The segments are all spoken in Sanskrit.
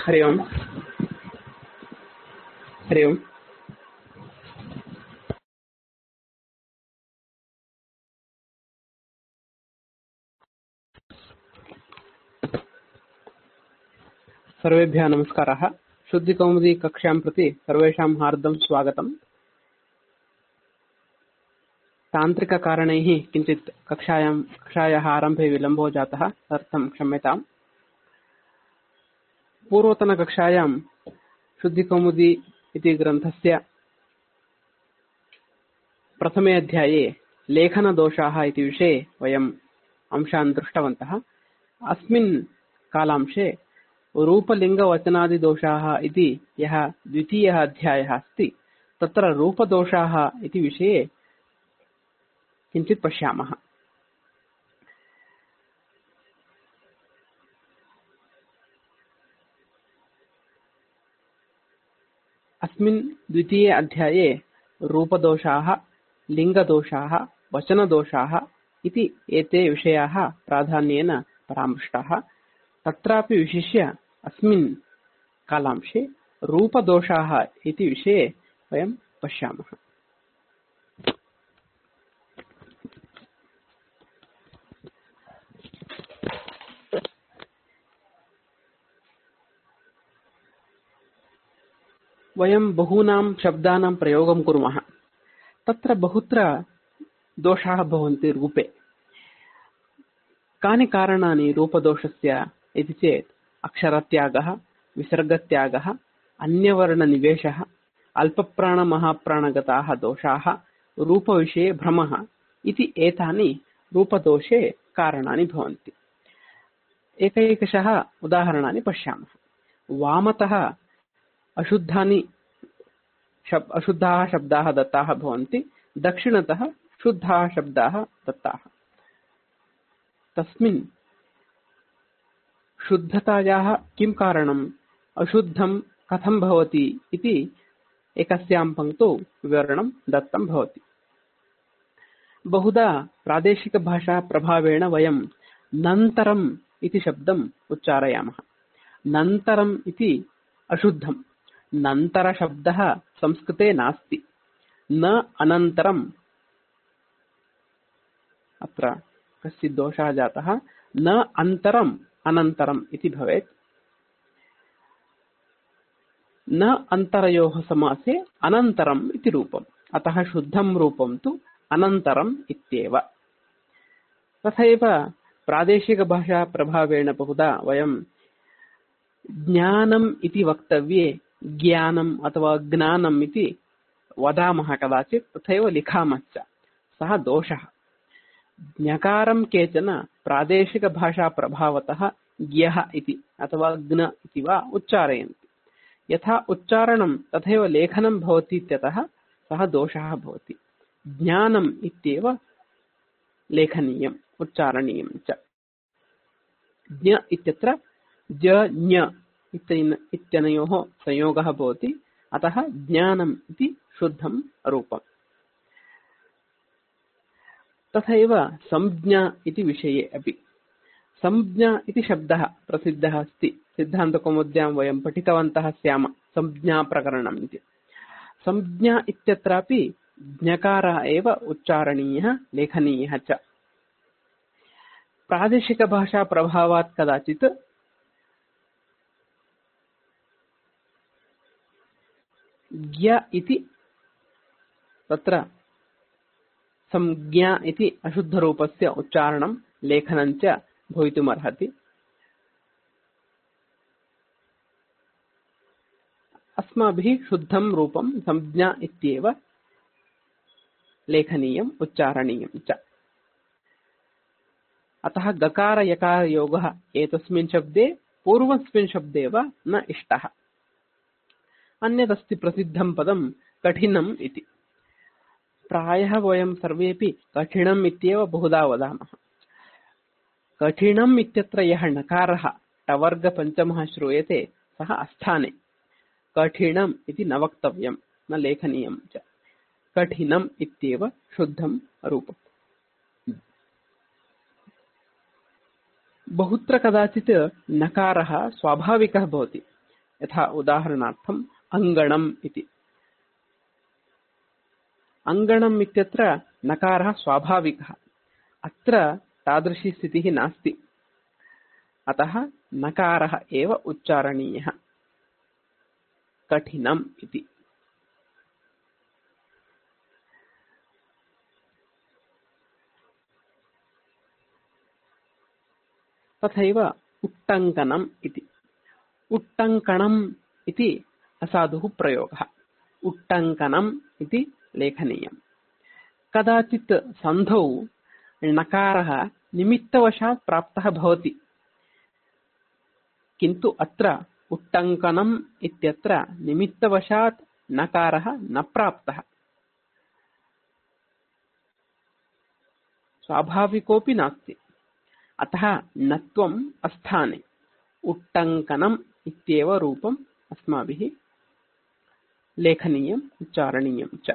हरि ओम्। हरि ओम्। सर्वेभ्यः नमस्कारः। शुद्धिकौमुदी कक्षां प्रति सर्वेषां हार्दं स्वागतम्। तान्त्रिककारणैः किञ्चित् कक्षायाः आरम्भे विलम्बो जातः, तदर्थं क्षम्यताम्। पूर्वतनकक्षायां शुद्धिकौमुदी इति ग्रन्थस्य प्रथमे अध्याये लेखनदोषाः इति विषये वयम् अंशान् दृष्टवन्तः। अस्मिन् कालांशे रूपलिङ्गवचनादिदोषाः इति यः द्वितीयः अध्यायः अस्ति, तत्र रूपदोषाः इति विषये किञ्चित् पश्यामः। अस्मिन् द्वितीये अध्याये रूपदोषाः, लिङ्गदोषाः, वचनदोषाः इति एते विषयाः प्राधान्येन परामृष्टाः। तत्रापि विशिष्य अस्मिन् कालांशे रूपदोषाः इति विषये वयं पश्यामः। वयं बहूनां शब्दानां प्रयोगं कुर्मः। तत्र बहुत्र दोषाः भवन्ति रूपे। कानि कारणानि रूपदोषस्य इति चेत् अक्षरत्यागः, विसर्गत्यागः, अन्यवर्णनिवेशः, अल्पप्राणमहाप्राणगताः दोषाः, रूपविषये भ्रमः इति एतानि रूपदोषे कारणानि भवन्ति। एकैकशः उदाहरणानि पश्यामः। वामतः अशुद्धाः शब्दाः दत्ताः भवन्ति, दक्षिणतः शुद्धाः शब्दाः दत्ताः। तस्मिन् शुद्धतायाः किं कारणम्, अशुद्धं कथं भवति इति एकस्यां पङ्क्तौ विवरणं दत्तं भवति। बहुधा प्रादेशिकभाषा प्रभावेण वयं नन्तरम् इति शब्दम् उच्चारयामः। नन्तरम् इति अशुद्धं। नन्तरशब्दः संस्कृते नास्ति। न अनन्तरम्, अत्र कश्चित् दोषः जातः। न अन्तरम् अनन्तरम् इति भवेत्। न अन्तरयोः समासे अनन्तरम् इति रूपम्। अतः शुद्धं रूपं तु अनन्तरम् इत्येव। तथैव प्रादेशिकभाषा प्रभावेण बहुधा वयं ज्ञानम् इति वक्तव्ये ज्ञानम् अथवा ज्ञानम् इति वदामः कदाचित्, तथैव लिखामश्च। सः दोषः। ज्ञकारं केचन प्रादेशिकभाषा प्रभावतः ज्ञः इति अथवा ज्ञ इति वा उच्चारयन्ति। यथा उच्चारणं तथैव लेखनं भवति इत्यतः सः दोषः भवति। ज्ञानम् इत्येव लेखनीयम्, उच्चारणीयं च। ज्ञ इत्यत्र ज्ञ इत्यनयोः संयोगः भवति, अतः ज्ञानम् इति शुद्धं रूपम्। तथैव संज्ञा इति विषये अपि। संज्ञा इति शब्दः प्रसिद्धः अस्ति। सिद्धान्तकौमुद्यां वयं पठितवन्तः स्याम संज्ञाप्रकरणम् इति। संज्ञा इत्यत्रापि ज्ञकारः एव उच्चारणीयः, लेखनीयः च। प्रादेशिकभाषा प्रभावात् कदाचित् ज्ञ इति तत्र संज्ञा इति अशुद्धरूपस्य उच्चारणं लेखनं च भवितुमर्हति। अस्माभिः शुद्धं रूपं संज्ञा इत्येव लेखनीयम्, उच्चारणीयं च। अतः गकार यकार योगः एतस्मिन् शब्दे पूर्वस्मिन् शब्दे वा न इष्टः। अन्यदस्ति प्रसिद्धं पदं कठिनम् इति। प्रायः वयं सर्वेपि कठिनम् इत्येव बहुधा वदामः। कठिनम् इत्यत्र यः नकारः टवर्गपञ्चमः श्रूयते, सः अस्थाने। कठिनम् इति न वक्तव्यं, न लेखनीयं च। कठिनम् इत्येव शुद्धं रूपम्। बहुत्र कदाचित् नकारः स्वाभाविकः भवति। यथा उदाहरणार्थम् अङ्गणम् इति। अङ्गणम् इत्यत्र नकारः स्वाभाविकः, अत्र तादृशी स्थितिः नास्ति, अतः नकारः एव उच्चारणीयः। कठिनम् इति। तथैव उट्टङ्कनम् इति। उट्टङ्कणम् इति असाधुः प्रयोगः, उट्टङ्कनम् इति लेखनीयम्। कदाचित् सन्धौ णकारः निमित्तवशात् प्राप्तः भवति, किन्तु अत्र उट्टङ्कनम् इत्यत्र निमित्तवशात् नकारः न प्राप्तः, स्वाभाविकोऽपि नास्ति, अतः नत्वम् अस्थाने उट्टङ्कनम् इत्येव रूपम् अस्माभिः लेखनीयम् उच्चारणीयम् च।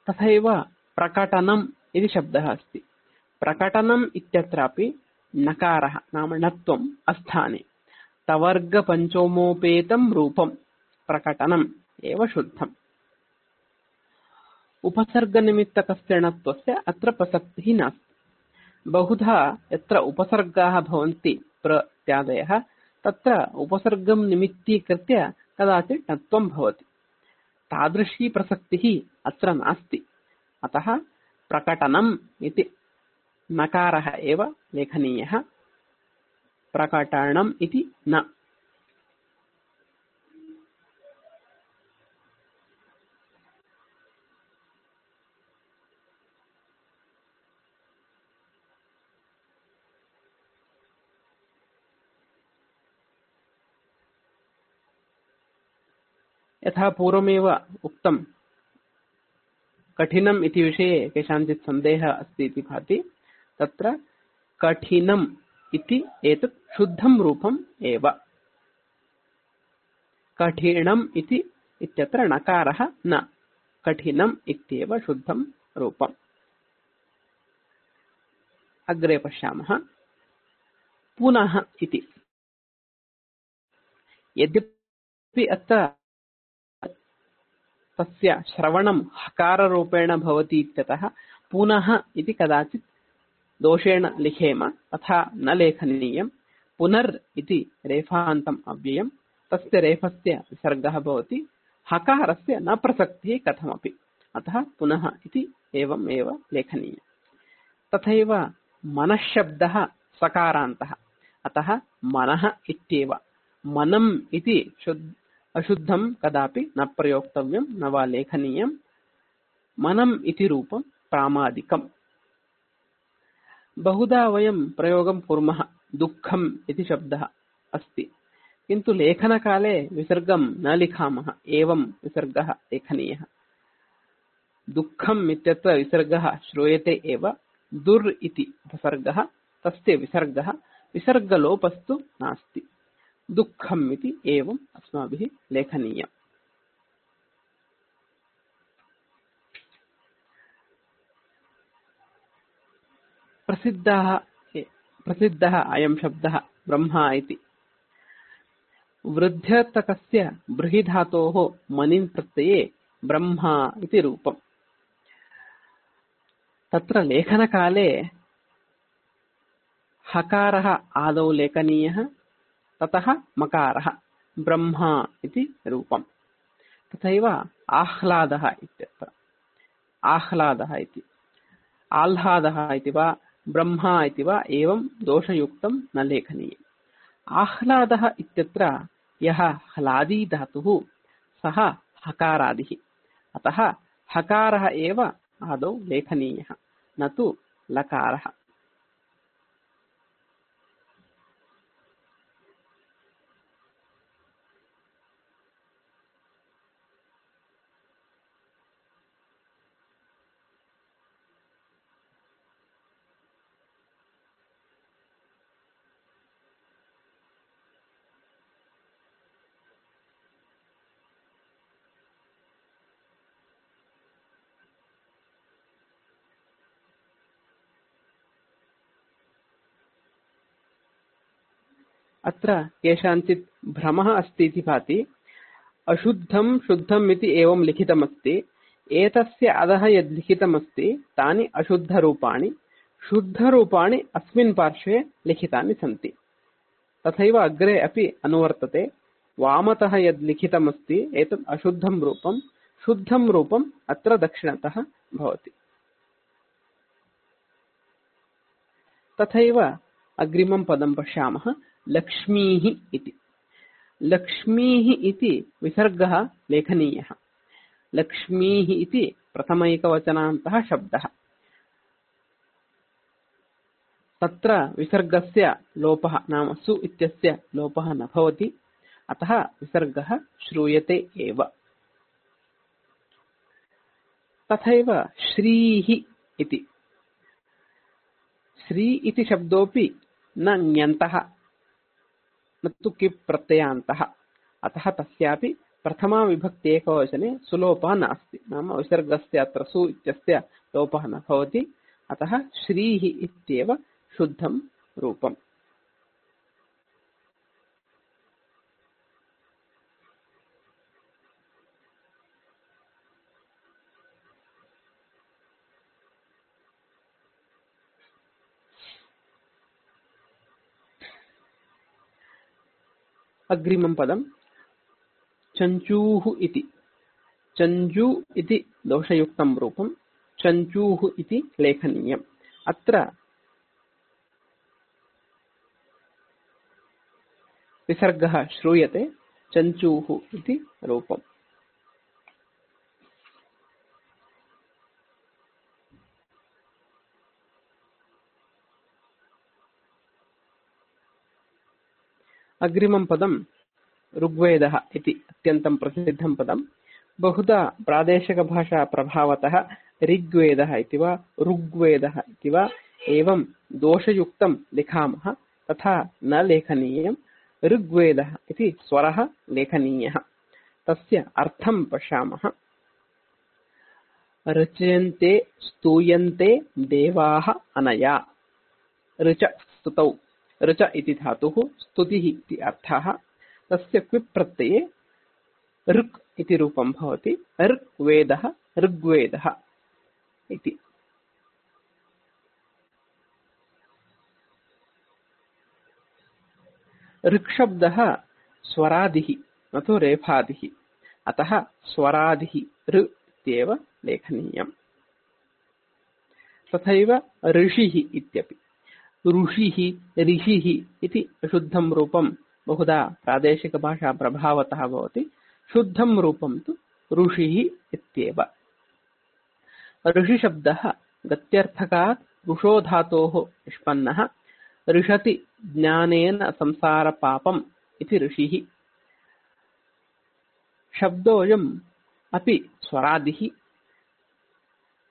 तथैव प्रकटनम् इति शब्दः अस्ति। प्रकटनम् इत्यत्रापि नकारः नाम णत्वम् अस्थाने, तवर्गपञ्चमोपेतं रूपं प्रकटनम् एव शुद्धम्। उपसर्गनिमित्तकस्य णत्वस्य अत्र प्रसक्तिः नास्ति। बहुधा यत्र उपसर्गाः भवन्ति प्रत्यादयः, तत्र उपसर्गं निमित्तीकृत्य कदाचित् णत्वं भवति, तादृशी प्रसक्तिः अत्र नास्ति, अतः प्रकटनम् इति नकारः एव लेखनीयः, प्रकटनम् इति न। यथा पूर्वमेव उक्तं, कठिनम् इति विषये केषाञ्चित् सन्देहः अस्ति इति भाति। तत्र कठिनम् इति एतत् शुद्धं रूपम् एव। कठिनम् इति इत्यत्र णकारः न, कठिनम् इत्येव शुद्धं रूपम्। अग्रे पश्यामः। पुनः इति। यद्यपि अत्र तस्य श्रवणं हकाररूपेण भवति इत्यतः पुनः इति कदाचित् दोषेण लिखेम, तथा न लेखनीयम्। पुनर् इति रेफान्तम् अव्ययम्, तस्य रेफस्य विसर्गः भवति, हकारस्य न प्रसक्तिः कथमपि, अतः पुनः इति एवम् एव लेखनीयम्। तथैव मनःशब्दः सकारान्तः, अतः मनः इत्येव। मनम् इति अशुद्धं कदापि न प्रयोक्तव्यं, न वा लेखनीयम्। मनम् इति रूपं प्रामादिकम्। बहुधा वयं प्रयोगं कुर्मः, दुःखम् इति शब्दः अस्ति, किन्तु लेखनकाले विसर्गं न लिखामः, एवं विसर्गः लेखनीयः। दुःखम् इत्यत्र विसर्गः श्रूयते एव, दुर् इति उपसर्गः, तस्य विसर्गः, विसर्गलोपस्तु नास्ति। दुःखम् इति एवम् अस्माभिः लेखनीयम्। प्रसिद्धः अयं शब्दः ब्रह्मा इति। वृद्ध्यर्थकस्य बृहिधातोः मनिन् प्रत्यये ब्रह्मा इति रूपम्। तत्र लेखनकाले हकारः आदौ लेखनीयः, ततः मकारः, ब्रह्मा इति रूपम्। तथैव आह्लादः इत्यत्र आह्लादः इति, आह्लादः इति वा ब्रह्मा इति वा एवं दोषयुक्तं न लेखनीयम्। आह्लादः इत्यत्र यः ह्लादी धातुः सः हकारादिः, अतः हकारः एव आदौ लेखनीयः, न तु लकारः। अत्र केषाञ्चित् भ्रमः अस्ति इति भाति। अशुद्धं शुद्धम् इति एवं लिखितमस्ति। एतस्य अधः यद् लिखितमस्ति तानि अशुद्धरूपाणि, शुद्धरूपाणि अस्मिन् पार्श्वे लिखितानि सन्ति। तथैव अग्रे अपि अनुवर्तते। वामतः यद् लिखितमस्ति एतत् अशुद्धं रूपं, शुद्धं रूपम् अत्र दक्षिणतः भवति। तथैव अग्रिमं पदं पश्यामः, लक्ष्मीः इति। लक्ष्मीः इति विसर्गः लेखनीयः। लक्ष्मीः इति प्रथमैकवचनान्तः शब्दः। तत्र विसर्गस्य लोपः नाम सु इत्यस्य लोपः न भवति, अतः विसर्गः श्रूयते एव। तथैव श्रीः इति। श्री इति शब्दोऽपि न ञन्तः, न तु किप् प्रत्ययान्तः, अतः तस्यापि प्रथमा विभक्ति एकवचने सुलोपः नास्ति, नाम विसर्गस्य अत्र सु इत्यस्य लोपः न भवति, अतः श्रीः इत्येव शुद्धं रूपम्। अग्रिमं पदं चञ्चूः इति। चञ्चू इति दोषयुक्तं रूपं, चञ्चूः इति लेखनीयम्। अत्र विसर्गः श्रूयते, चञ्चूः इति रूपम्। अग्रिमं पदं ऋग्वेदः इति अत्यन्तं प्रसिद्धं पदं। बहुधा प्रादेशिकभाषा प्रभावतः ऋग्वेदः इति वा ऋग्वेदः इति वा एवं दोषयुक्तं लिखामः, तथा न लेखनीयम्। ऋग्वेदः इति स्वरः लेखनीयः। तस्य अर्थं पश्यामः। रचयन्ते स्तूयन्ते देवाः अनया। ऋच स्तुतौ, ऋच इति धातुः, स्तुतिः इति अर्थः। तस्य क्विप् प्रत्यये ऋक् इति रूपं भवति। ऋग्वेदः, ऋग्वेदः इति। ऋक्शब्दः स्वरादिः न तु रेफादिः, अतः स्वरादिः ऋ इत्येव लेखनीयम्। तथैव ऋषिः इत्यपि। ऋषिः, ऋषिः इति शुद्धं रूपं बहुधा प्रादेशिकभाषा प्रभावतः भवति। शुद्धं रूपं तु ऋषिः इत्येव। ऋषिशब्दः गत्यर्थकात् ऋषो धातोः निष्पन्नः। ऋषति ज्ञानेन संसारपापम् इति ऋषिः। शब्दोऽयम् अपि स्वरादिः।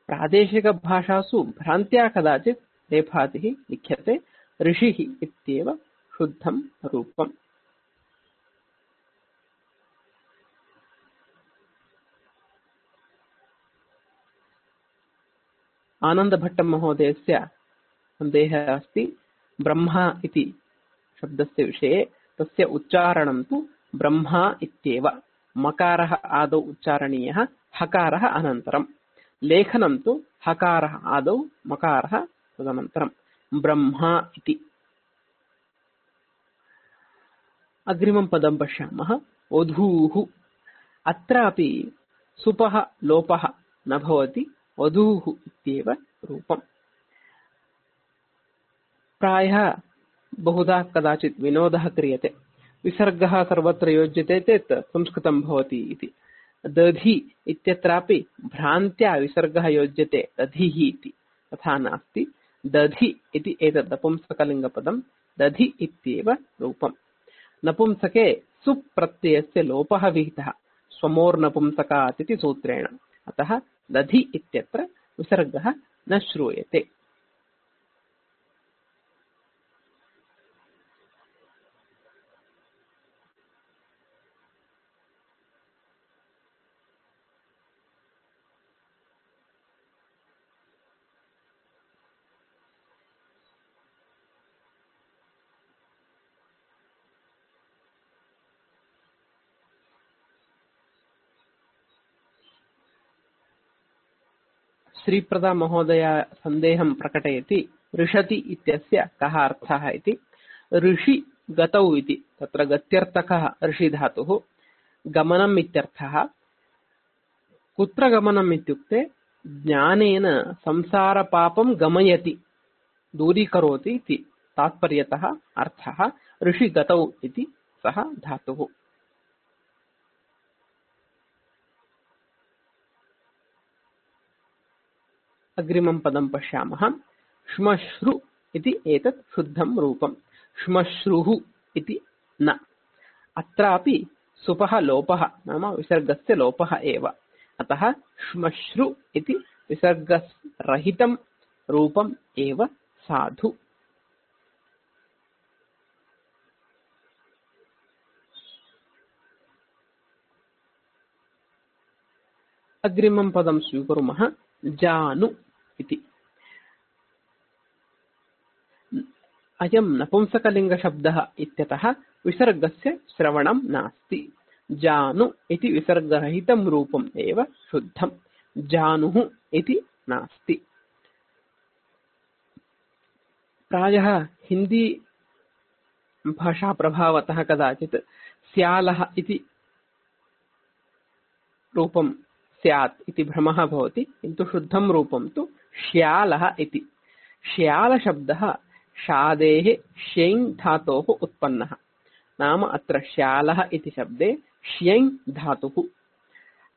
प्रादेशिकभाषासु भ्रान्त्या कदाचित् रेफादिः लिख्यते। ऋषिः इत्येव शुद्धं रूपम्। आनन्दभट्टमहोदयस्य सन्देहः अस्ति ब्रह्मा इति शब्दस्य विषये। तस्य उच्चारणं तु ब्रह्मा इत्येव। मकारः आदौ उच्चारणीयः, हकारः अनन्तरं। लेखनं तु हकारः आदौ, मकारः तदनन्तरं। ब्रह्मा इति। अग्रिमं पदं पश्यामः, वधूः। अत्रापि सुपः लोपः न भवति, वधूः इत्येव रूपम्। प्रायः बहुधा कदाचित् विनोदः क्रियते, विसर्गः सर्वत्र योज्यते चेत् संस्कृतं भवति इति। दधि इत्यत्रापि भ्रान्त्या विसर्गः योज्यते दधिः इति, तथा नास्ति। दधि इति एतत् नपुंसकलिङ्गपदं, दधि इत्येव रूपम्। नपुंसके सुप्रत्ययस्य लोपः विहितः स्वमोर्नपुंसकात् इति सूत्रेण, अतः दधि इत्यत्र विसर्गः न श्रूयते। श्रीप्रदा महोदय सन्देहं प्रकटयति ऋषति इत्यस्य कः अर्थः इति। ऋषि गतौ इति तत्र गत्यर्थकः ऋषि धातुः, गमनम् इत्यर्थः। कुत्र गमनम् इत्युक्ते ज्ञानेन संसारपापं गमयति, दूरीकरोति इति तात्पर्यतः अर्थः। ऋषि गतौ इति सः धातुः। अग्रिमं पदं पश्यामः। श्मश्रु इति एतत् शुद्धं रूपं। श्मश्रुः इति न। अत्रापि सुपः लोपः नाम विसर्गस्य लोपः एव, अतः श्मश्रु इति विसर्गरहितं रूपम् एव साधु। अग्रिमं पदं स्वीकुर्मः। जानु इति। अयं नपुंसकलिङ्गशब्दः इत्यतः विसर्गस्य श्रवणं नास्ति। जानु इति विसर्गरहितं रूपम् एव शुद्धं। जानुः इति नास्ति। प्रायः हिंदी भाषा प्रभावतः कदाचित् स्यालः इति रूपं स्यात् इति भ्रमः भवति, किन्तु शुद्धं रूपं तु श्यालः इति। श्यालशब्दः शादेः श्यैन् धातोः उत्पन्नः, नाम अत्र श्यालः इति शब्दे श्यैन् धातुः,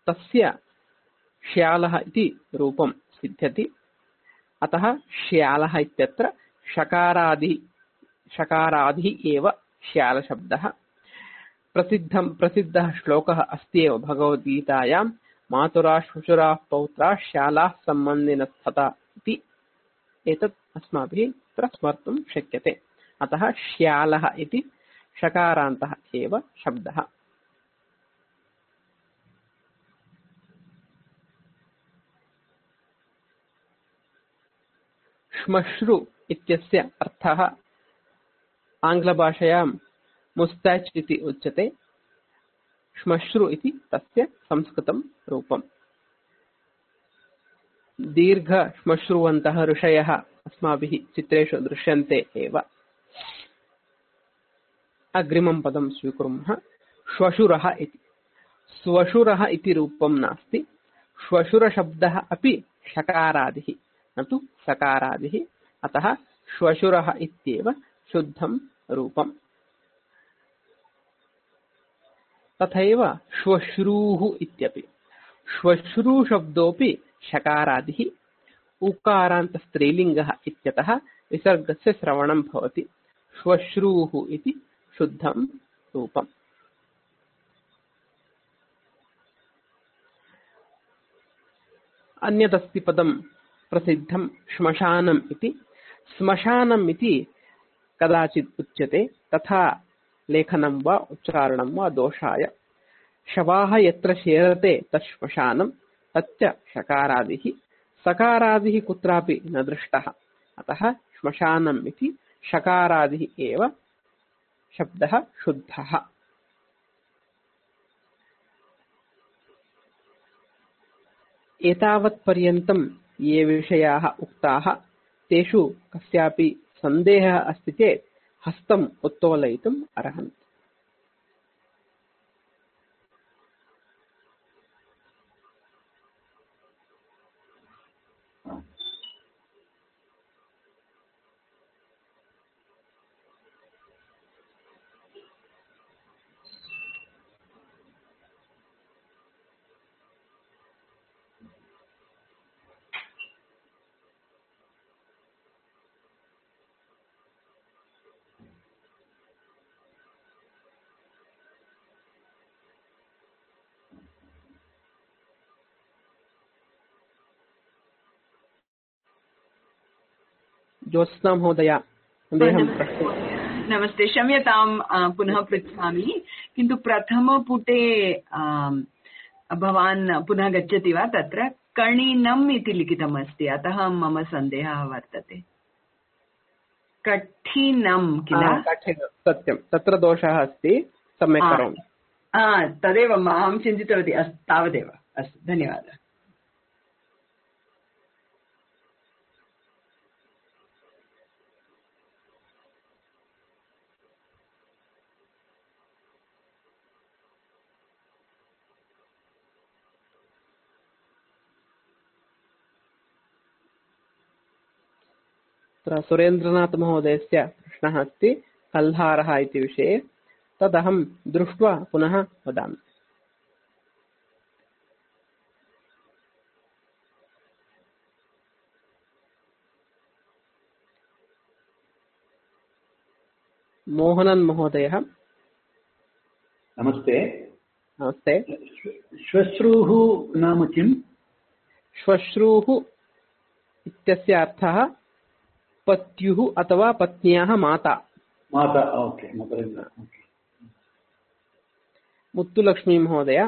तस्य श्यालः इति रूपं सिद्ध्यति। अतः श्यालः इत्यत्र शकारादिः एव श्यालशब्दः। प्रसिद्धः श्लोकः अस्ति एव भगवद्गीतायां, मातुरा श्वशुराः पौत्राः श्यालाः सम्बन्धिनस्तथा इति। एतत् अस्माभिः तत्र स्मर्तुं शक्यते। अतः श्यालः इति शकारान्तः एव शब्दः। श्मश्रु इत्यस्य अर्थः आङ्ग्लभाषायां मुस्ताच् इति उच्यते। श्मश्रु इति तस्य संस्कृतं रूपम्। दीर्घ श्मश्रुवन्तः ऋषयः अस्माभिः चित्रेषु दृश्यन्ते एव। अग्रिमं पदं स्वीकुर्मः। श्वशुरः इति। स्वशुरः इति रूपं नास्ति। श्वशुरशब्दः अपि शकारादिः न तु सकारादिः, अतः श्वशुरः इत्येव शुद्धं रूपम्। तथैव श्वश्रूः इत्यपि। श्वश्रू शब्दोऽपि शकारादिः, उकारान्त स्त्रीलिङ्गः इत्यतः विसर्गस्य श्रवणं भवति। श्वश्रूः इति शुद्धं रूपम्। अन्यदस्ति पदं प्रसिद्धं श्मशानम् इति। श्मशानम् इति कदाचित् उच्यते, तथा लेखनं वा उच्चारणं वा दोषाय। शवाः यत्र शेरते तत् श्मशानं, तच्च शकारादिः। सकारादिः कुत्रापि न दृष्टः, अतः श्मशानम् इति शकारादिः एव शब्दः शुद्धः। एतावत्पर्यन्तं ये विषयाः उक्ताः, तेषु कस्यापि सन्देहः अस्ति चेत् हस्तम् उत्तोलयितुम् अर्हन्ति। ज्योत्स्ना महोदया, नमस्ते, क्षम्यतां पुनः पृच्छामि, किन्तु प्रथमपुटे भवान् पुनः गच्छति वा? तत्र कणिनम् इति लिखितमस्ति, अतः मम सन्देहः वर्तते। कठिनं किल? सत्यं, तत्र दोषः अस्ति, सम्यक् करोमि। तदेव अहं चिन्तितवती। अस्तु, तावदेव। अस्तु, धन्यवादः। अत्र सुरेन्द्रनाथमहोदयस्य प्रश्नः अस्ति कल्हारः इति विषये। तदहं दृष्ट्वा पुनः वदामि। मोहनन् महोदयः। नमस्ते। नमस्ते। श्वश्रूः नाम किम्? श्वश्रूः इत्यस्य अर्थः पत्युः अथवा पत्न्याः माता। माता, ओके, मदरिन्द्र। मुत्तुलक्ष्मी महोदय।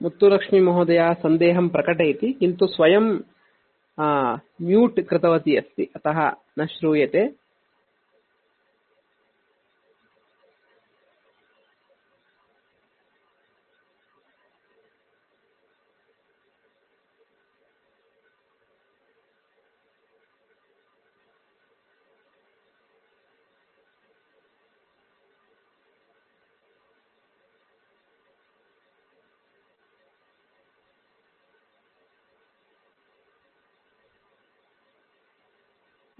मुत्तुलक्ष्मी महोदया सन्देहं प्रकटयति, किन्तु स्वयं म्यूट् कृतवती अस्ति, अतः न श्रूयते।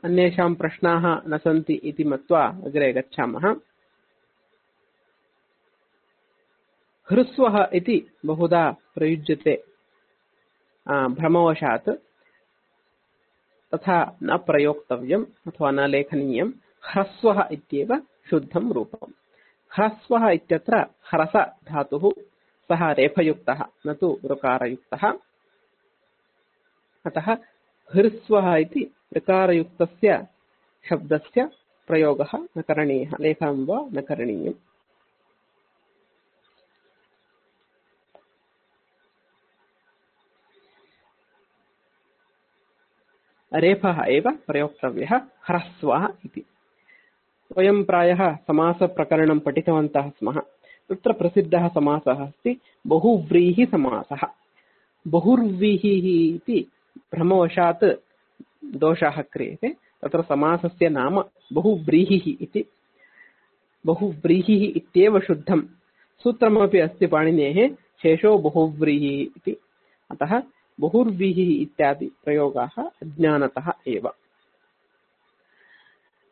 अन्येषां प्रश्नाः न सन्ति इति मत्वा अग्रे गच्छामः। ह्रस्वः इति बहुधा प्रयुज्यते भ्रमवशात्, तथा न प्रयोक्तव्यम् अथवा न लेखनीयम्। ह्रस्वः इत्येव शुद्धं रूपम्। ह्रस्वः इत्यत्र ह्रस धातुः, सः रेफयुक्तः न तु ऋकारयुक्तः। अतः ह्रस्वः इति ऋकारयुक्तस्य शब्दस्य प्रयोगः न करणीयः, लेखनं वा न करणीयम्। रेफः एव प्रयोक्तव्यः ह्रस्वः इति। वयं प्रायः समासप्रकरणं पठितवन्तः स्मः। तत्र प्रसिद्धः समासः अस्ति बहुव्रीहिसमासः। बहुर्व्रीहिः इति भ्रमवशात् दोषः क्रियते। तत्र समासस्य नाम बहुव्रीहिः इति। बहुव्रीहिः इत्येव शुद्धं। सूत्रमपि अस्ति पाणिनेः, शेषो बहुव्रीहिः इति। अतः बहुर्व्रीहिः इत्यादि प्रयोगाः अज्ञानतः एव।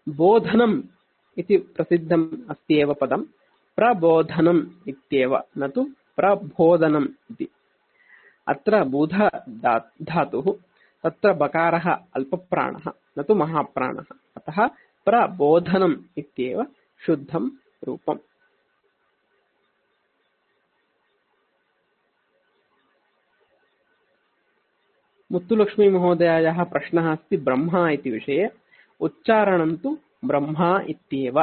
बोधनम् इति प्रसिद्धम् अस्ति एव पदं। प्रबोधनम् इत्येव, न तु प्रबोधनम् इति। अत्र बुध धातुः, तत्र बकारः अल्पप्राणः न तु महाप्राणः। अतः प्रबोधनम् इत्येव शुद्धं रूपम्। मुत्तुलक्ष्मी महोदयायाः प्रश्नः अस्ति ब्रह्मा इति विषये। उच्चारणं तु ब्रह्मा इत्येव।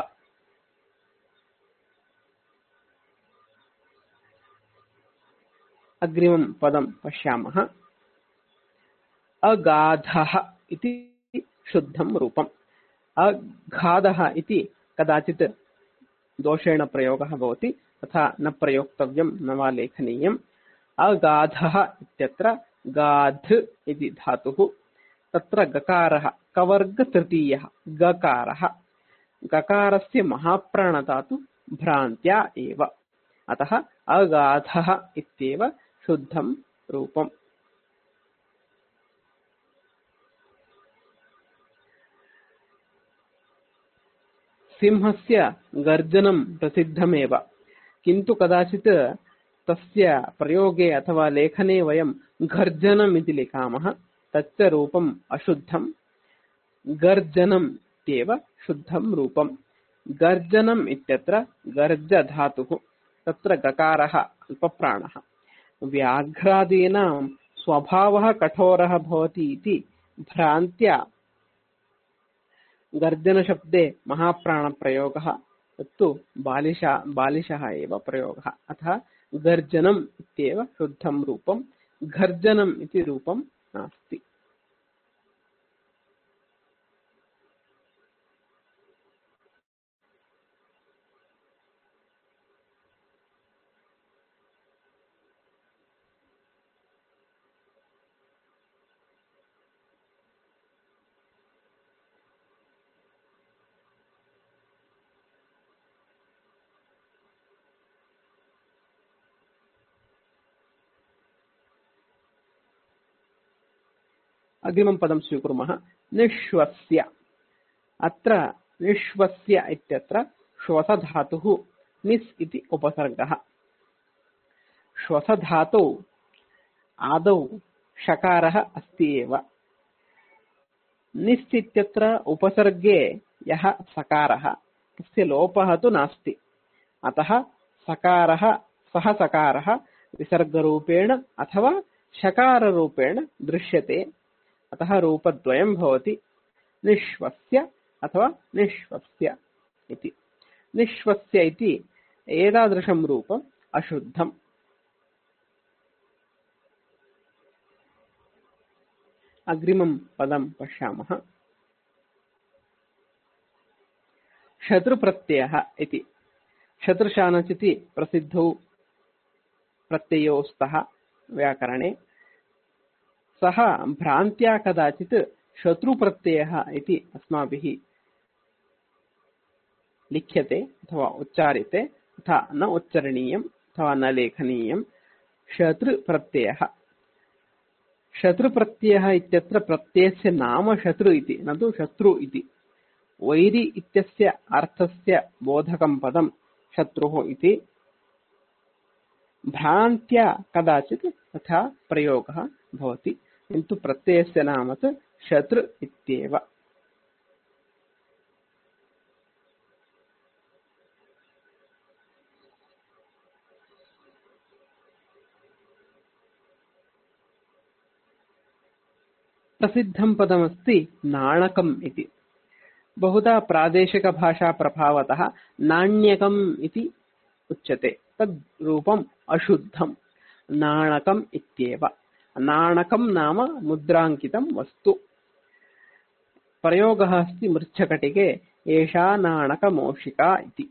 अग्रिमं पदं पश्यामः। अगाधः इति शुद्धं रूपम्। अगाधः इति कदाचित् दोषेण प्रयोगः भवति, तथा न प्रयोक्तव्यं न वा लेखनीयम्। अगाधः इत्यत्र गाध इति धातुः, तत्र गकारः कवर्ग तृतीयः गकारः। गकारस्य महाप्राणधातु भ्रान्त्या एव। अतः अगाधः इत्येव शुद्धं रूपम्। सिंहस्य गर्जनं प्रसिद्धमेव, किन्तु कदाचित् तस्य प्रयोगे अथवा लेखने वयं गर्जनम् इति लिखामः, तच्च रूपम् अशुद्धं। गर्जनम् इत्येव शुद्धं रूपम्। गर्जनम् इत्यत्र गर्ज धातुः, तत्र गकारः अल्पप्राणः। व्याघ्रादीनां स्वभावः कठोरः भवति इति भ्रान्त्या गर्जनशब्दे महाप्राणप्रयोगः, तत्तु बालिशः एव प्रयोगः। अतः गर्जनम् इत्येव शुद्धं रूपम्। गर्जनम् इति रूपं नास्ति। अग्रिमं पदं स्वीकुर्मः निश्वस्य। अत्र निश्वस्य इत्यत्र श्वसधातुः निस् इति उपसर्गः। श्वसधातौ आदौ षकारः अस्ति एव। निस् इत्यत्र उपसर्गे यः सकारः तस्य लोपः तु नास्ति। अतः सकारः सः सकारः विसर्गरूपेण अथवा षकाररूपेण दृश्यते। अतः रूपद्वयं भवति निश्वस्य अथवा निश्वस्य इति। निश्वस्य इति एतादृशं रूपम् अशुद्धम्। अग्रिमं पदं पश्यामः शत्रुप्रत्ययः इति। शत्रुशानचिति प्रसिद्धौ प्रत्ययो स्तः व्याकरणे। सः भ्रान्त्या कदाचित् शत्रुप्रत्ययः इति अस्माभिः लिख्यते अथवा उच्चार्यते, तथा न उच्चारणीयम् अथवा न लेखनीयम्। शत्रुप्रत्ययः। शत्रुप्रत्ययः इत्यत्र प्रत्ययस्य नाम शत्रु इति, न तु शत्रु इति। वैरि इत्यस्य अर्थस्य बोधकं पदं शत्रुः इति। भ्रान्त्या कदाचित् तथा प्रयोगः भवति, किन्तु प्रत्ययस्य नाम तु शत्रु इत्येव। प्रसिद्धं पदमस्ति नाणकम् इति। बहुधा प्रादेशिकभाषा प्रभावतः नाण्यकम् इति उच्यते। तद् रूपम् अशुद्धम्। नाणकम् इत्येव। नाणकं नाम मुद्राङ्कितं वस्तु। प्रयोगः अस्ति मृच्छकटिके एषा नाणकमौषिका इति।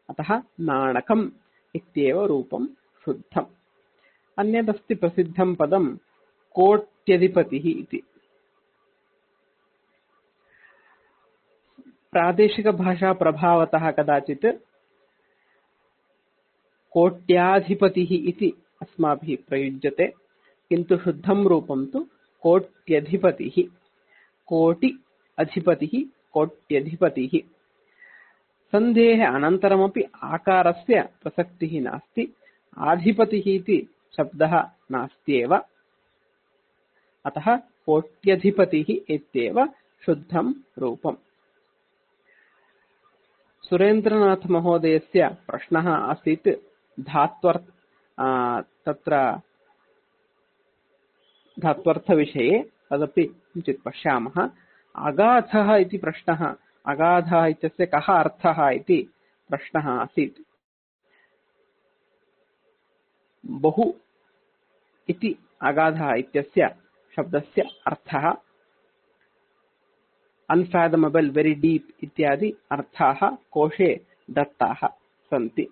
अतः नाणकम् इत्येव रूपं शुद्धम्। अन्यदस्ति प्रसिद्धं पदं कोट्यधिपतिः इति। प्रादेशिकभाषा प्रभावतः कदाचित् कोट्याधिपतिः इति अस्माभिः प्रयुज्यते, किन्तु शुद्धं रूपं तु कोट्यधिपतिः। कोटि अधिपतिः, कोट्यधिपतिः। सन्धेः अनन्तरमपि आकारस्य प्रसक्तिः नास्ति। आधिपतिः इति शब्दः नास्त्येव। अतः कोट्यधिपतिः इत्येव शुद्धं रूपम्। सुरेन्द्रनाथ महोदयस्य प्रश्नः आसीत् तत्र धात्वर्थविषये। तदपि किञ्चित् पश्यामः। अगाधः इति प्रश्नः। अगाधः इत्यस्य कः अर्थः इति प्रश्नः आसीत्। बहु इति अगाधः इत्यस्य शब्दस्य अर्थः। अनफैथमेबल, वेरी डीप इत्यादि अर्थाः कोशे दत्ताः सन्ति।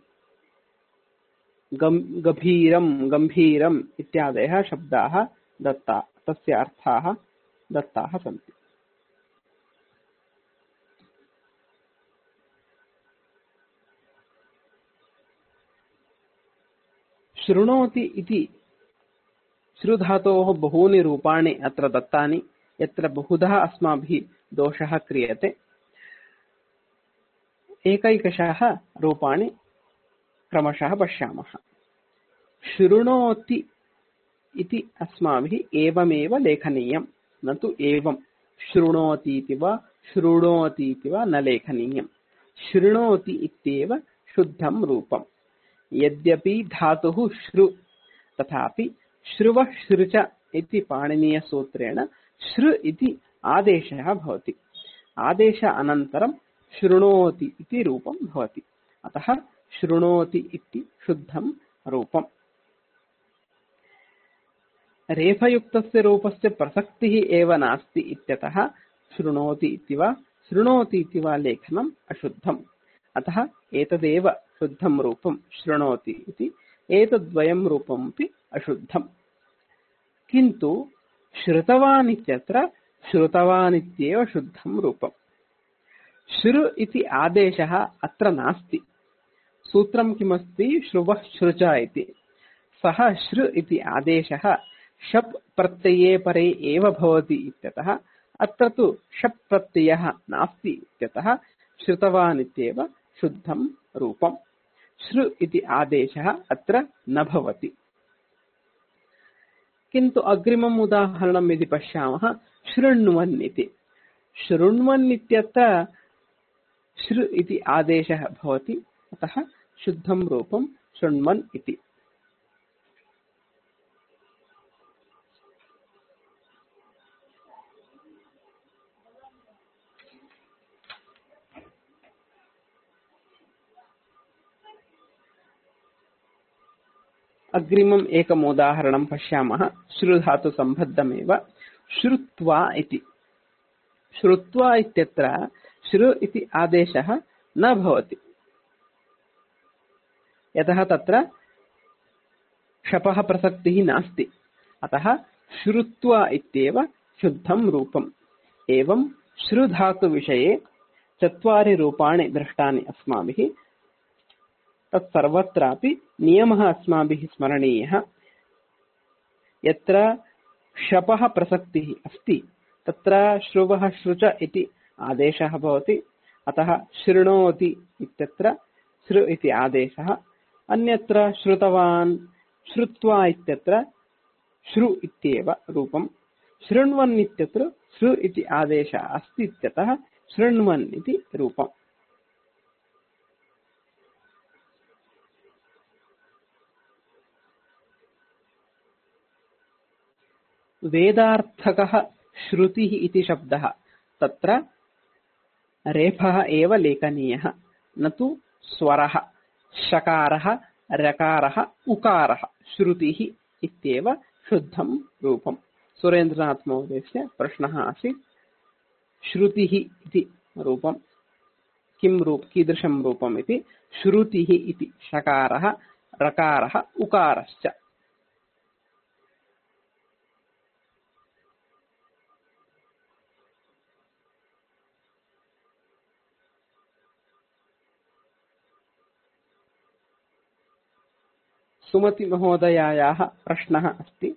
गभीरं, गम्भीरम् इत्यादयः शब्दाः दत्ता, तस्य अर्थाः दत्ताः सन्ति। शृणोति इति श्रुधातोः बहूनि रूपाणि अत्र दत्तानि, यत्र बहुधा अस्माभिः दोषः क्रियते। एकैकशः रूपाणि क्रमशः पश्यामः। शृणोति इति अस्माभिः एवमेव लेखनीयं, न तु एवं शृणोति इति वा शृणोति इति वा न लेखनीयं। शृणोति इत्येव शुद्धं रूपम्। यद्यपि धातुः श्रु, तथापि श्रुवः श्रुच इति पाणिनीयसूत्रेण श्रु इति आदेशः भवति। आदेश अनन्तरं शृणोति इति रूपं भवति। अतः शृणोति इति शुद्धं रूपम्। रेफयुक्तस्य रूपस्य प्रसक्तिः एव नास्ति इत्यतः शृणोति इति वा शृणोति इति वा लेखनम् अशुद्धम्। अतः एतदेव शुद्धं रूपं शृणोति इति। एतद्वयं रूपमपि अशुद्धम्। किन्तु श्रुतवान् इत्यत्र श्रुतवान् इत्येव शुद्धं रूपम्। श्रु इति आदेशः अत्र नास्ति। सूत्रं किमस्ति? श्रुवः श्रुच इति। सः श्रु इति आदेशः शप् प्रत्यये परे एव भवति इत्यतः अत्र तु शप् प्रत्ययः नास्ति इत्यतः श्रुतवान् इत्येव शुद्धं रूपम्। श्रु इति आदेशः अत्र न भवति। किन्तु अग्रिमम् उदाहरणम् यदि पश्यामः शृण्वन् इति। शृण्वन् इत्यत्र श्रु इति आदेशः भवति, अतः शुद्धं रूपं शृण्वन् इति। अग्रिमम् एकम् उदाहरणं पश्यामः श्रुधातुसम्बद्धमेव श्रुत्वा इति। श्रुत्वा इत्यत्र श्रु इति आदेशः न भवति, यतः तत्र शपः प्रसक्तिः नास्ति, अतः श्रुत्वा इत्येव शुद्धं रूपम्। एवं श्रुधातुविषये 4 रूपाणि दृष्टानि अस्माभिः। तत्सर्वत्रापि नियमः अस्माभिः स्मरणीयः। यत्र शपः प्रसक्तिः अस्ति तत्र श्रुवः श्रुच इति आदेशः भवति, अतः शृणोति इत्यत्र श्रु इति आदेशः। अन्यत्र श्रुतवान् श्रुत्वा इत्यत्र श्रु इत्येव रूपम्। शृण्वन् इत्यत्र श्रु इति आदेशः अस्ति इत्यतः शृण्वन् इति रूपम्। वेदार्थकः श्रुतिः इति शब्दः, तत्र रेफः एव लेखनीयः, न तु स्वरः। शकारः, रकारः, उकारः श्रुतिः इत्येव शुद्धं रूपम्। सुरेन्द्रनाथ महोदयस्य प्रश्नः आसीत्, श्रुतिः इति रूपं कीदृशं रूपम् इति। श्रुतिः इति शकारः, रकारः, उकारश्च। सुमति महोदयायाः प्रश्नः अस्ति,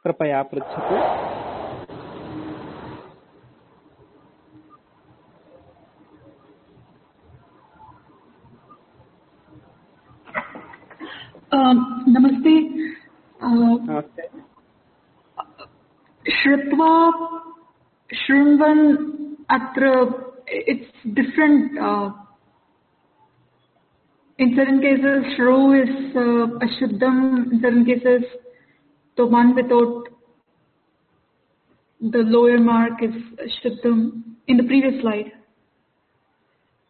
कृपया पृच्छतु। नमस्ते। नमस्ते। श्रुत्वा शृण्वन् अत्र it's different. In certain cases, shru is ashuddham. In certain cases, the one without the lower mark is ashuddham. In the previous slide.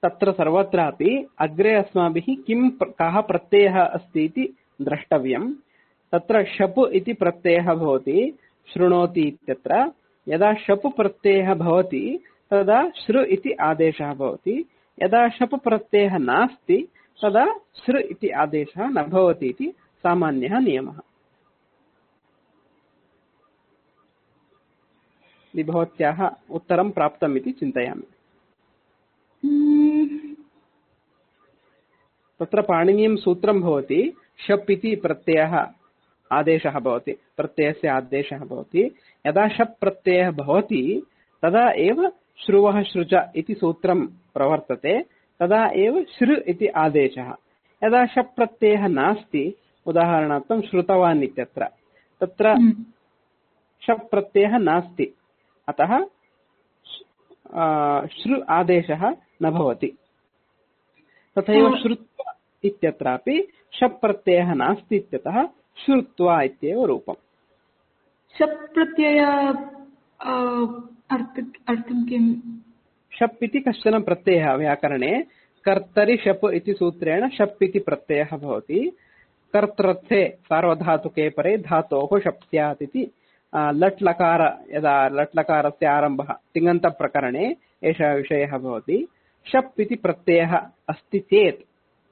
तत्र सर्वत्रापि अग्रे अस्माभिः कः प्रत्ययः अस्ति इति द्रष्टव्यम्। तत्र शप् इति प्रत्ययः भवति शृणोति इत्यत्र। यदा शप् प्रत्ययः भवति तदा श्रु इति आदेशः भवति। यदा शप् प्रत्ययः नास्ति तदा श्रु इति आदेशः न भवति इति सामान्यः नियमः। भवत्याः उत्तरं प्राप्तम् इति चिन्तयामि। तत्र पाणिनीयं सूत्रं भवति, शप् इति प्रत्ययः आदेशः भवति, प्रत्ययस्य आदेशः भवति। यदा शप् प्रत्ययः भवति तदा एव श्रुवः श्रुच इति सूत्रं प्रवर्तते, तदा एव श्रु इति आदेशः। यदा शप् प्रत्ययः नास्ति, उदाहरणार्थं श्रुतवान् इत्यत्र, तत्र शप् प्रत्ययः नास्ति, अतः श्रु आदेशः न भवति। तथैव श्रुत्वा इत्यत्रापि शप् प्रत्ययः नास्ति इत्यतः श्रुत्वा इत्येव रूपम्। शप् प्रत्यय अर्थं किम्? शप् इति कश्चन प्रत्ययः व्याकरणे। कर्तरि शप् इति सूत्रेण शप् इति प्रत्ययः भवति। कर्तृर्थे सार्वधातुके परे धातोः शप् स्यात् इति लट् लकार, यदा लट् लकारस्य आरम्भः तिङन्तप्रकरणे एषः विषयः भवति। शप् इति प्रत्ययः अस्ति चेत्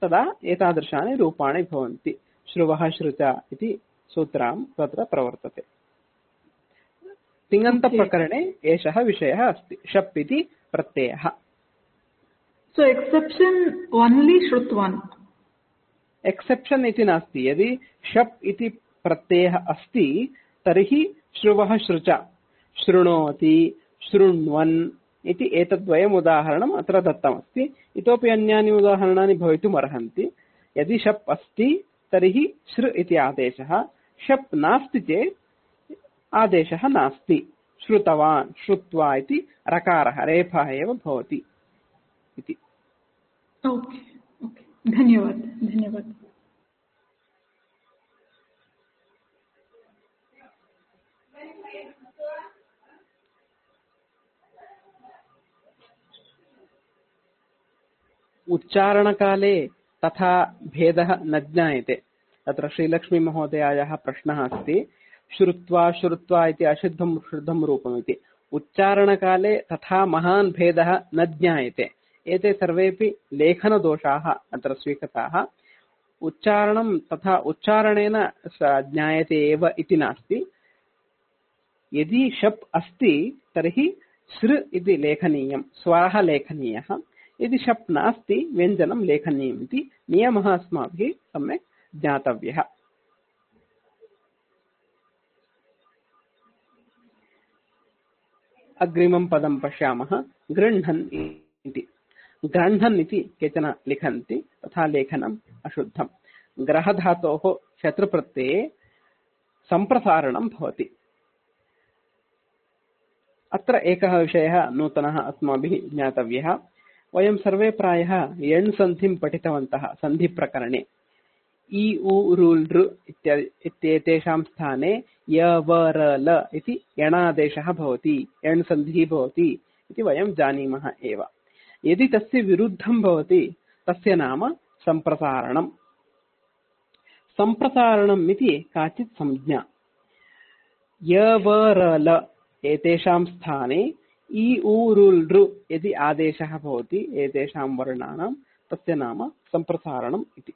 तदा एतादृशानि रूपाणि भवन्ति। श्रुवः श्रुत इति सूत्रं तत्र प्रवर्तते। तिङन्तप्रकरणे एषः विषयः अस्ति, शप् इति प्रत्ययः। So exception only श्रुतवान्। एक्सेप्शन इति नास्ति। यदि शप् इति प्रत्ययः अस्ति तर्हि श्रुवः श्रुच शृणोति शृण्वन् इति एतद्वयम् उदाहरणम् अत्र दत्तमस्ति। इतोपि अन्यानि उदाहरणानि भवितुम् अर्हन्ति। यदि शप् अस्ति तर्हि श्रृ इति आदेशः, शप् नास्ति चेत् आदेशः नास्ति। श्रुतवान् श्रुत्वा इति रकारः रेफः एव भवति इति। ओके ओके, धन्यवाद धन्यवाद। उच्चारणकाले तथा भेदः न ज्ञायते। तत्र श्रीलक्ष्मी महोदयायाः प्रश्नः अस्ति, श्रुत्वा श्रुत्वा इति अशुद्धं शुद्धं रूपमिति। उच्चारणकाले तथा महान् भेदः न ज्ञायते। एते सर्वेपि लेखनदोषाः अत्र स्वीकृताः। उच्चारणं तथा उच्चारणेन ज्ञायते एव इति नास्ति। यदि शप् अस्ति तर्हि सृ इति लेखनीयं, स्वरः लेखनीयः। यदि शप् नास्ति व्यञ्जनं लेखनीयम् इति नियमः अस्माभिः सम्यक् ज्ञातव्यः। अग्रिमं पदं पश्यामः, गृह्णन् इति। गृह्णन् इति केचन लिखन्ति, तथा लेखनम् अशुद्धम्। ग्रहधातोः शत्रुप्रत्यये सम्प्रसारणं भवति। अत्र एकः विषयः नूतनः अस्माभिः ज्ञातव्यः। वयं सर्वे प्रायः यण् सन्धिं पठितवन्तः सन्धिप्रकरणे। इ उ ऋ लृ इत्येतेषां स्थाने य व र ल इति यणादेशः भवति, यण् सन्धिः भवति इति वयं जानीमः एव। यदि तस्य विरुद्धं भवति तस्य नाम सम्प्रसारणम्। सम्प्रसारणम् इति काचित् संज्ञा। य व र ल एतेषां स्थाने इ उ ऋ लृ यदि आदेशः भवति एतेषां वर्णानां, तस्य नाम सम्प्रसारणम् इति।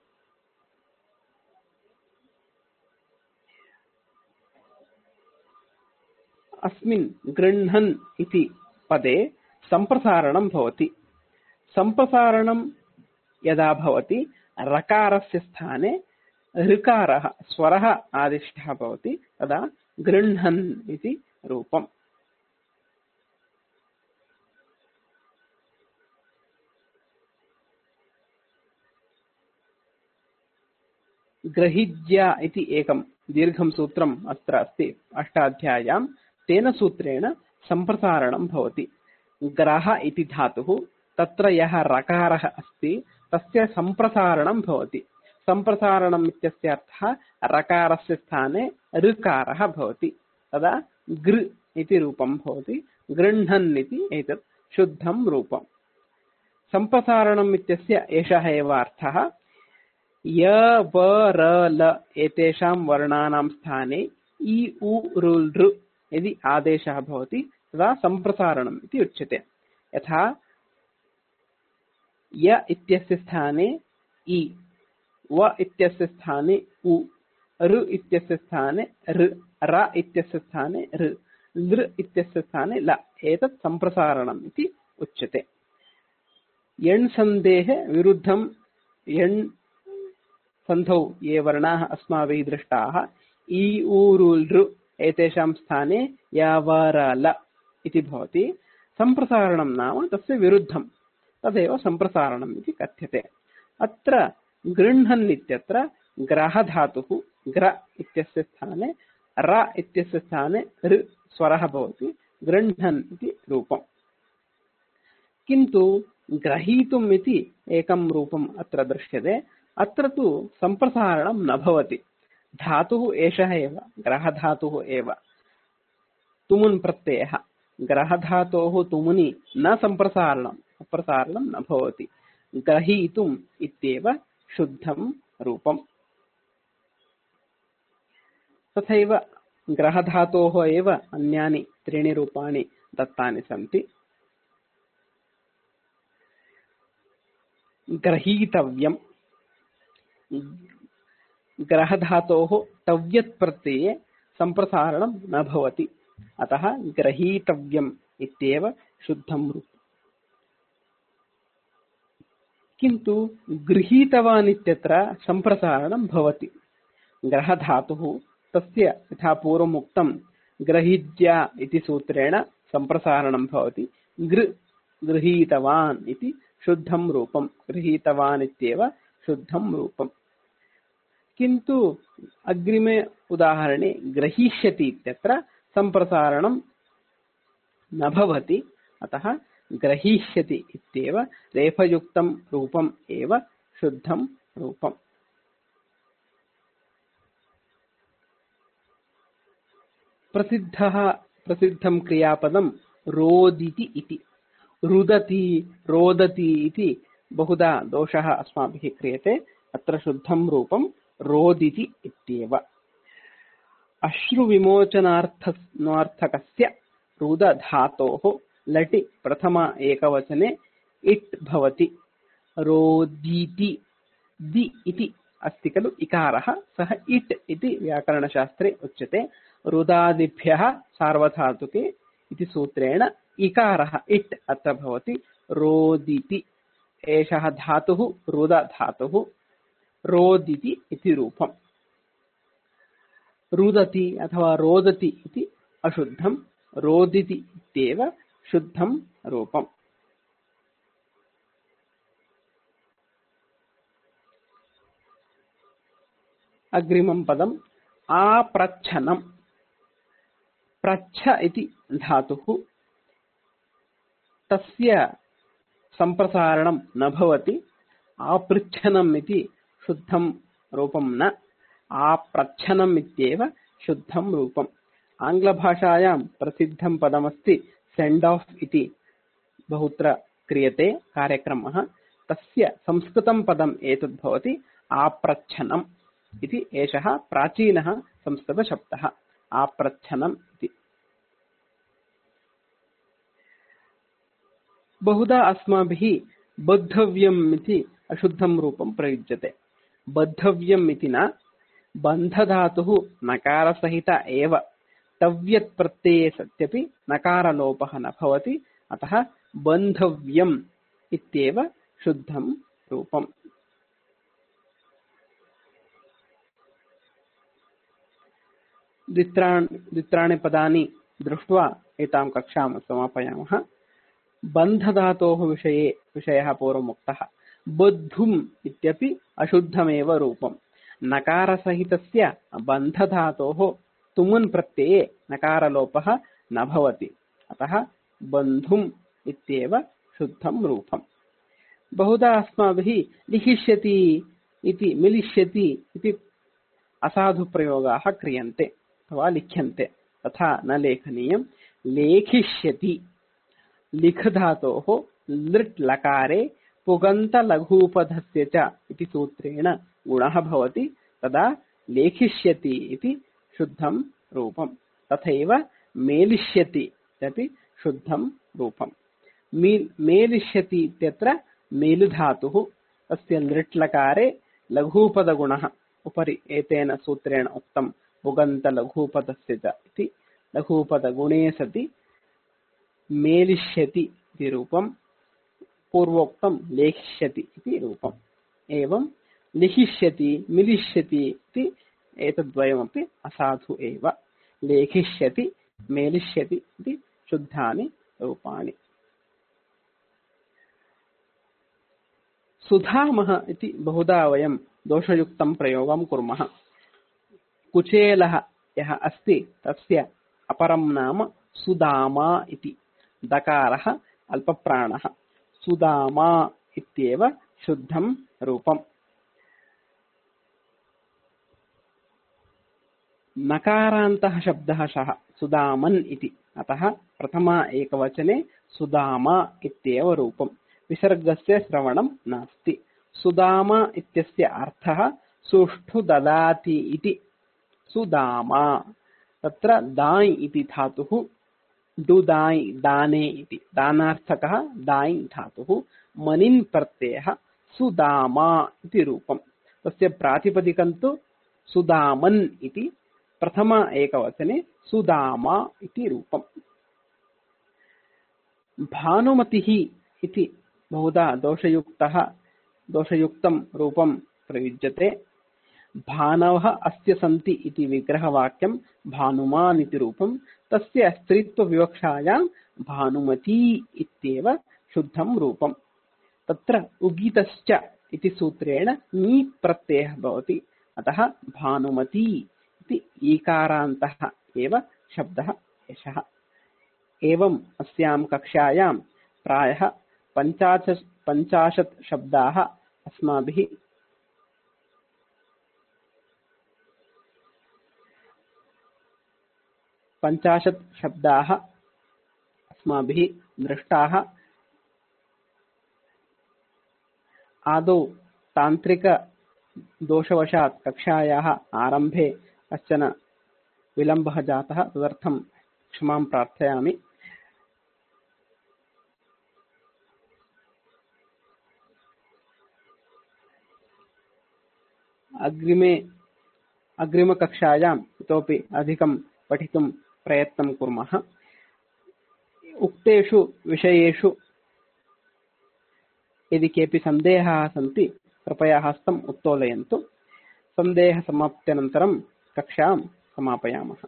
अस्मिन् गृह्णन् इति पदे सम्प्रसारणं भवति। सम्प्रसारणं यदा भवति रकारस्य स्थाने ऋकारः स्वरः आदिष्टः भवति, तदा गृह्णन् इति रूपम्। ग्रहिज्या इति एकं दीर्घं सूत्रम् अत्र अस्ति अष्टाध्याय्यां। तेन सूत्रेण सम्प्रसारणं भवति। ग्रह इति धातुः, तत्र यः रकारः अस्ति तस्य सम्प्रसारणं भवति। सम्प्रसारणम् इत्यस्य अर्थः रकारस्य स्थाने ऋकारः भवति, तदा गृ इति रूपं भवति। गृह्णन् इति एतत् शुद्धं रूपम्। सम्प्रसारणम् इत्यस्य एषः एव अर्थः। य व र ल एतेषां वर्णानां स्थाने इ उ ऋ लृ यदि आदेशः भवति तदा सम्प्रसारणम् इति उच्यते। यथा य इत्यस्य स्थाने इ, व इत्यस्य स्थाने उ, ऋ इत्यस्य स्थाने ऋ, र इत्यस्य स्थाने ऋ, लृ इत्यस्य स्थाने ल, एतत् सम्प्रसारणम् इति उच्यते। यण् सन्धेः विरुद्धं यण् सन्धौ ये वर्णाः अस्माभिः दृष्टाः इ उ ऋ लृ एतेषां स्थाने य व र ल इति भवति। सम्प्रसारणं नाम तस्य विरुद्धं, तदेव सम्प्रसारणम् इति कथ्यते। अत्र गृह्णन् इत्यत्र ग्रहधातुः ग्र इत्यस्य स्थाने र इत्यस्य स्थाने ऋ स्वरः भवति, गृह्णन् इति रूपम्। किन्तु ग्रहीतुम् इति एकं रूपम् अत्र दृश्यते। अत्र तु सम्प्रसारणं न भवति। धातुः एषः एव, ग्रहधातुः एव, तुमुन् प्रत्ययः। ग्रहधातोः तुमुनि न सम्प्रसारणं न भवति। ग्रहीतुम् इत्येव शुद्धं रूपम्। तथैव ग्रहधातोः एव अन्यानि त्रीणि रूपाणि दत्तानि सन्ति। ग्रहीतव्यम्। ग्रहधातोः तव्यत् प्रत्यये सम्प्रसारणं न भवति, अतः ग्रहीतव्यम् इत्येव शुद्धं रूपम्। किन्तु गृहीतवान् इत्यत्र सम्प्रसारणं भवति। ग्रहधातुः तस्य यथा पूर्वमुक्तं ग्रहीज्या इति सूत्रेण सम्प्रसारणं भवति। गृहीतवान् इति शुद्धं रूपं, गृहीतवान् इत्येव शुद्धं रूपं। किन्तु अग्रिमे उदाहरणे ग्रहीष्यति इत्यत्र सम्प्रसारणं न भवति, अतः ग्रहीष्यति इत्येव रेफयुक्तं रूपम् एव शुद्धं रूपम्। प्रसिद्धं क्रियापदं रोदिति इति। रुदति, रोदति इति बहुधा दोषः अस्माभिः क्रियते। अत्र शुद्धं रूपं रोदिति इत्येव। अश्रुविमोचनार्थकस्य रुदधातोः लटि प्रथम एकवचने इट् भवति। रोदीति दि इति अस्ति खलु इकारः, सः इट् इति व्याकरणशास्त्रे उच्यते। रुदादिभ्यः सार्वधातुके इति सूत्रेण इकारः इट् अत्र भवति। रोदिति एषः धातुः रुदधातुः, रोदिति इति रूपम्। रुदति अथवा रोदति इति अशुद्धं, रोदिति इत्येव शुद्धं रूपम्। अग्रिमं पदम् आप्रच्छनम्। प्रच्छ इति धातुः, तस्य सम्प्रसारणं न भवति। आपृच्छनम् इति शुद्धं रूपं न, आप्रच्छनम् इत्येव शुद्धं रूपम्। आङ्ग्लभाषायां प्रसिद्धं पदमस्ति सेण्ड् आफ् इति, बहुत्र क्रियते कार्यक्रमः। तस्य संस्कृतं पदम् एतद् भवति आप्रच्छनम् इति। एषः प्राचीनः संस्कृतशब्दः आप्रच्छनम् इति। बहुधा अस्माभिः बद्धव्यम् इति अशुद्धं रूपं प्रयुज्यते। बद्धव्यम् इति न, बन्धधातुः नकारसहित एव, तव्यत् प्रत्यये सत्यपि नकारलोपः न भवति, अतः बन्धव्यम् इत्येव शुद्धं रूपम्। द्वित्राणि पदानि दृष्ट्वा एतां कक्षां समापयामः। बन्धधातोः विषयः पूर्वमुक्तः। बद्धुम् इत्यपि अशुद्धमेव रूपम्। नकारसहितस्य बन्धधातोः तुमुन् प्रत्यये नकारलोपः न भवति, अतः बन्धुम् इत्येव शुद्धं रूपम्। बहुधा अस्माभिः लिखिष्यति इति, मिलिष्यति इति असाधुप्रयोगाः क्रियन्ते अथवा लिख्यन्ते, तथा न लेखनीयम्। लेखिष्यति लिख धातोः लृट् लकारे पुगन्त लघूपधस्य च इति सूत्रेण गुणः भवति, तदा लेखिष्यति इति शुद्धं रूपम्। तथैव मेलिष्यति इत्यपि शुद्धं रूपम्। मेलिष्यति इत्यत्र मेलु धातुः, तस्य लृट् लकारे लघूपदगुणः उपरि एतेन सूत्रेण उक्तं पुगन्त लघूपदस्य च इति। लघूपदगुणे सति मेलिष्यति इति रूपं, पूर्वोक्तं लेखिष्यति इति रूपम्। एवं लिखिष्यति, मिलिष्यति इति एतद्वयमपि असाधु एव। लेखिष्यति, मेलिष्यति इति शुद्धानि रूपाणि। सुधामः इति बहुधा वयं दोषयुक्तं प्रयोगं कुर्मः। कुचेलः यः अस्ति तस्य अपरं नाम सुदामा इति। दकारः अल्पप्राणः, सुदामा इत्येव शुद्धं रूपम्। नकारान्तः शब्दः सः सुदामन् इति, अतः प्रथमा एकवचने सुदामा इत्येव रूपम्। विसर्गस्य श्रवणं नास्ति। सुदामा इत्यस्य अर्थः सुष्ठु ददाति इति। सुदामा तत्र दाय् इति धातुः, डु दाय् दाने इति, दानार्थकः दाय् धातुः, मनिन् प्रत्ययः, सुदामा इति रूपम्। तस्य प्रातिपदिकं तु सुदामन् इति, प्रथम एकवचने सुदामा इति रूपम्। भानुमतिः इति बहुधा दोषयुक्तं रूपं प्रयुज्यते। भानवः अस्य सन्ति इति विग्रहवाक्यं भानुमान् इति रूपं, तस्य स्त्रीत्वविवक्षायां भानुमती इत्येव शुद्धं रूपम्। तत्र उगीतश्च इति सूत्रेण नी प्रत्ययः भवति, अतः भानुमती इति ईकारान्तः एव शब्दः एषः। एवम् अस्यां कक्षायां प्रायः 50 शब्दाः अस्माभिः दृष्टाः। आदौ तान्त्रिकदोषवशात् कक्षायाः आरम्भे कश्चन विलम्बः जातः, तदर्थं क्षमां प्रार्थयामि। अग्रिमकक्षायाम् इतोपि अधिकं पठितुं प्रयत्नं कुर्मः। उक्तेषु विषयेषु यदि केऽपि सन्देहाः सन्ति कृपया हस्तम् उत्तोलयन्तु। सन्देहसमाप्त्यनन्तरं कक्षां समापयामः।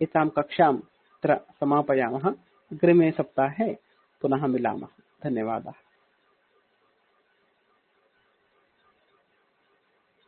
एतां कक्षां अत्र समापयामः। अग्रिमे सप्ताहे पुनः मिलामः। धन्यवादाः।